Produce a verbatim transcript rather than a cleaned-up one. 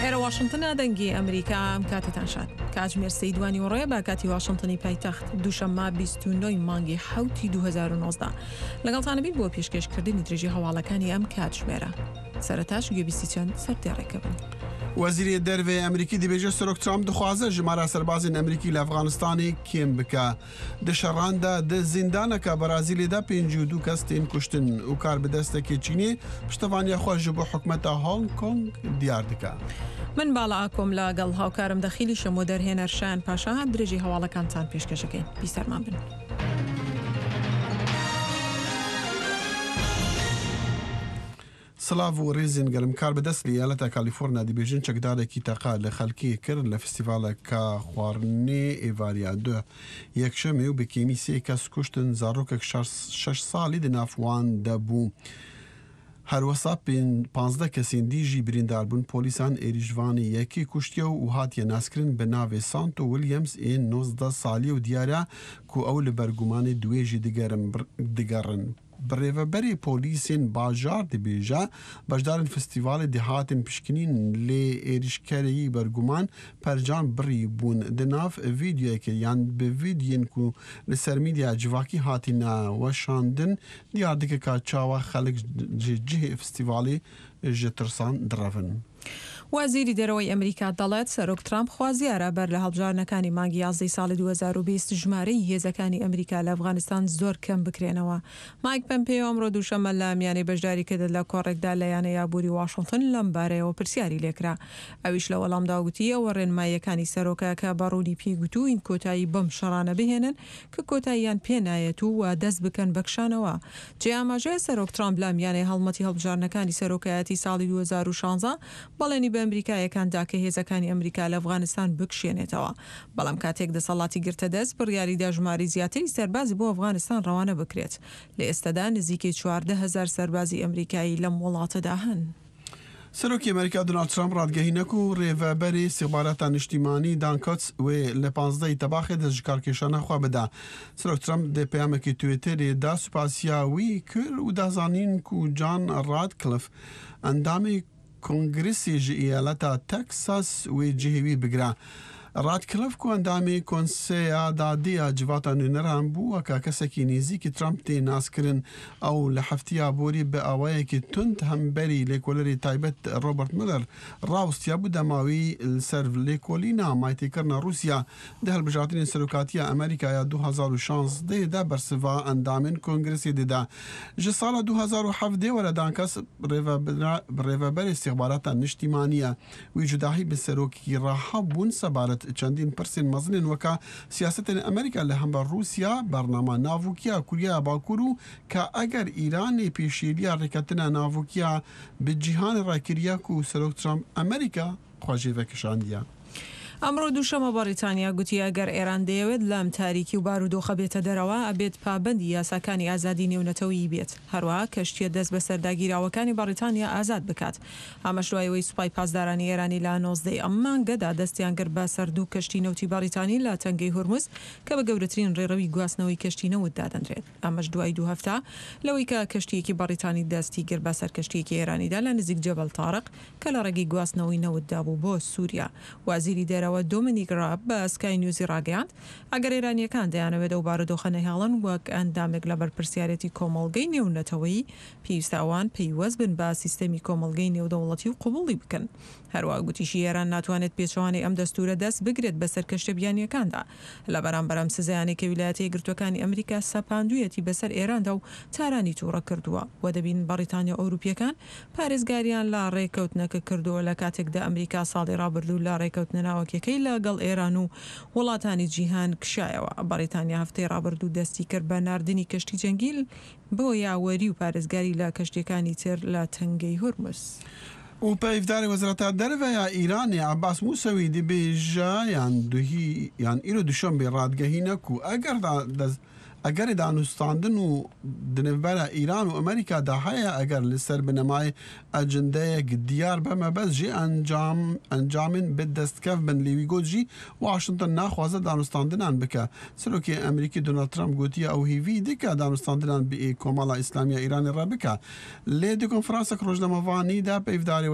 ئێرە واشنتنە، دەنگی ئەمریکا. ئەم کاتەتان شاد. کاتژمێر سێی دوانیوەڕۆیە بە کاتی واشنتنی پایتەخت، دووشەممە بیست و نۆ ی مانگی حەوتی دوو هەزار و نۆزدە. لەگەڵتانە بین بۆ پێشکێشکردنی درێژی هەواڵەکانی ئەم کاتژمێرە. سەرەتاش گوێبیستی چەند سەردێڕێکە بن. وەزیری دەرڤەی ئەمریکی دەبێژێ سەرۆک ترامپ دخوازە ژمارە سەربازین ئەمریکی لە ئەفغانستانی کێم بکە. دە شەڕاندا دە زیندانەکە بەرازیلێدا پێنجی و دوو کەس تێن کوشتن و کار بەدەستەکێ چینێ پشتەوانیا خۆ ژ بۆ حکومەتە هۆنگ کۆنگ دیار دکە. من باڵا ئاکۆم لەگەڵ هاوکارم دەخیلی شەم و دەرهێنەر شایان پاشا درێژی هەواڵەکانتان پێشکەشەکەین. بیسەرمان بن. سڵاڤ و ڕێزین گەرم. کار بەدەست لە ئیالەتە کالیفۆرنیا دەبێژن چەکدارێکی تەقە لە خەڵکی کرد لە فستیڤالەکە خواردنێ ئێڤاریا دوه یەکشەمێ و بە کێمی سێ کەس کوشتن، زارۆکێک شەش ساڵی دنافوان دەبوو. هەروەسا پانزدە کەسین دیژی بریندار بوون. پۆلیسان ئێریشڤانی یەکی کوشتیە و هاتیە ناسکردن بە ناوێ سانتۆ ویلیامز ئێ نۆزدە ساڵیە و دیارە کو ئەو لە بەرگومانی دوێژی دگەڕن. بڕێوەبەری پۆلیسên bajar dibêje beşdarên festîvalê dihatin pişkinîn lê êrişkerî berguman percan birî bûn. Di nav vîdeoyekê yan bi vîdeoyên ku li ser medyaya civakî hatine weşandin diyar dike ka çawa xelk ji cihê festîvalê ji tirsan direvin. وەزیری دەرەوەی ئەمریکا دەڵێت سەرۆک ترامپ خوازیارە بەر لە هەڵبژاردنەکانی مانگی یازدەی ساڵی دوو هەزار و بیست ژمارەی هێزەکانی ئەمریکا لە ئەفغانستان زۆر کەم بکرێنەوە. مایک پەمپێیۆ ئەمڕۆ دووشەممە لە میانەی بەشداریکردن لە کۆڕێکدا لە یانەی ئابووری واشنتن لەم بارەیەوە پرسیاری لێکرا. ئەویش لە وەڵامدا گوتی ئەوە ڕێنماییەکانی سەرۆکە کە بە ڕوونی پێی گوتووین کۆتایی بەم شەڕانە بهێنن کە کۆتاییان پێ نایەت و دەست بکەن بەکشانەوە. جێ ئاماژەیە سەرۆک ترامپ لە میانەی هەڵمەتی هەڵبژاردنەکانی سەرۆکایەتی ساڵی دوو هەزار و شانزە بەڵێنی بە ئەمریکایەکاندا کە هێزەکانی ئەمریکا لە ئەفغانستان بکشێنێتەوە، بەڵام کاتێک دەسەڵاتی گرتە دەست بڕیاریدا ژمارەی زیاتری سەربازی بۆ ئەفغانستان ڕەوانە بکرێت. لە ئێستادا نزیکەی چواردە هەزار سەربازی ئەمریکایی لەم وڵاتەدا هەن. سەرۆکی ئەمریکا دۆناڵد ترامپ ڕادگەهینەک و ڕێڤەبەری ئیستیخباراتە نیشتیمانی دان کۆتس وێ لە پانزدەی تەباخێ دەست ژکارکێشانە خوا بدا. سەرۆک ترامپ دە پەیامێکی تویتەرێ دا سوپاسیاوی کرد و دازانین کو جان ڕادکلف ئەندامی کۆنگرسی ژ ئیالەتا تەکساس وێ جهێوی بگرە. ڕادکلف کو ئەندامی کۆنسەیە دادەیە جڤاتە نوێنەران بووە کە کەسێکی نزیکی ترامپ تێ ناسکردن. ئەو لە هەفتەیە بۆری بە ئاوایەکی توند هەمبەری لێکۆلەری تایبەت ڕۆبەرت ملەر ڕاوستیا بوو دەماوی لەسەر لێکۆلینە مایتێکردنە رووسیا دە هەڵبژاردنی سەرۆکاتیە ئەمریکایا دوو هەزار و شانزدە دا بەرسڤا ئەندامên کۆنگرسê دەدا. ji sala دوو هەزار و حەڤدە وەرە دانکەس ڕێڤەبەری ئیستیخباراتە نیشتیمانیە. وی جوداهی bi سەرۆکی ڕاحە بوون سەبارەت چەندین پرسên مەزنên وەکە سیاسەتên ئەمریکا لە هەمبەر رووسیا، بەرنامە ناڤوکیا کوریای باکوور و کە ئەگەر ئیرانê پێشێلیە ڕێکەتنە ناڤوکیا bi cîhanê ڕێکریە ku سەرۆک ترامپ ئەمریکا خوا jê vekişandiye. ئەمڕۆ دووشەممە بەریتانیا گوتی ئەگەر ئێران دەیەوێت لەم تاریکی و بارودۆخە بێتە دەرەوە ئەبێت پابەندی یاساکانی ئازادی نێونەتەوەیی بێت، هەروەها کەشتیە دەست بەسەرداگیراوەکانی بەریتانیا ئازاد بکات. ئەمەش دوای ئەوەی سوپای پاسدارانی ئێرانی لە نۆزدەی ئەم مانگەدا دەستیان کرد بە سەر دوو کەشتی نەوتی بەریتانی لە تەنگەی هورمز کە بە گەورەترین ڕێڕەوی گواستنەوەی کەشتی نەوت دادەنرێت. ئەمەش دوای دوو هەفتە لەوەی کە کەشتیەکی بەریتانی دەستی کرد بە سەر کەشتیەکی ئێرانیدا لە نزیک جەبەل تارق کە لە ڕێگەی گواستنەوەی نەوتدا بوو بۆ سووریا. وەزیری دەرەوە دۆمینیک ڕاب بە سکای نیوزی ڕاگەیاند ئەگەر ئێرانیەکان دەیانەوێت ئەو بارودۆخە نەهێڵن وەک ئەندامێک لە بەرپرسیارێتی کۆمەڵگەی نێونەتەوەیی پێویستە ئەوان پەیوەست بن بە سیستەمی کۆمەڵگەی نێودەوڵەتی و قبوڵی بکەن. هەروەها گوتیشی ئێران ناتوانێت پێچەوانەی ئەم دەستورە دەست بگرێت بەسەر کەشتە بیانیەکاندا. لە بەرامبەر ئەم سزایانەی کە ویلایەتە یەکگرتووەکانی ئەمریکا سەپاندوویەتی بەسەر ئێراندا و تارانی تووڕە کردووە و دەبین بەریتانیا ئەوروپیەکان پارێزگاریان لە ڕێکەوتنەکە کردووە لە کاتێکدا ئەمریکا ساڵی ڕابردوو لە ڕێکەوتنە ناوەکیەکەی لەگەڵ ئێران و وڵاتانی جیهان کشایەوە. بەریتانیا هەفتەی ڕابردوو دەستی کرد بە ناردنی کەشتی جەنگیل بۆ یاوەری و پارێزگاری لە کەشتیەکانی تر لە تەنگەی هورمز. و پەیڤداری وەزارەتە دەرەوەیە ئیرانێ عەباس موسەوی دەبێژە یان دوهی یان ئیرۆ دوشەنبێ ڕادگەهینە و ئەگەر ئەگەر دانوستاندن و دنەڤبەرە ئیران و ئەمریکادا هەیە ئەگەر لەسەر بنەمای ئەجندەیەک دیار بەمە بەس ژێ ئەنجام ئەنجامین بە دەستکەف بن. لێوی گوت ژی واشنگتن ناخوازە دانوستاندنان بکە. سەرۆکی ئەمریکی دۆناڵد ترامپ گوتیە ئەو هیوی دیکە دانوستاندنان بە کۆمەڵە ئیسلامیە ئیرانی ڕێ بکە. لێ دی کۆنفرانسێک ڕۆژنامەوانیدا پەیڤداری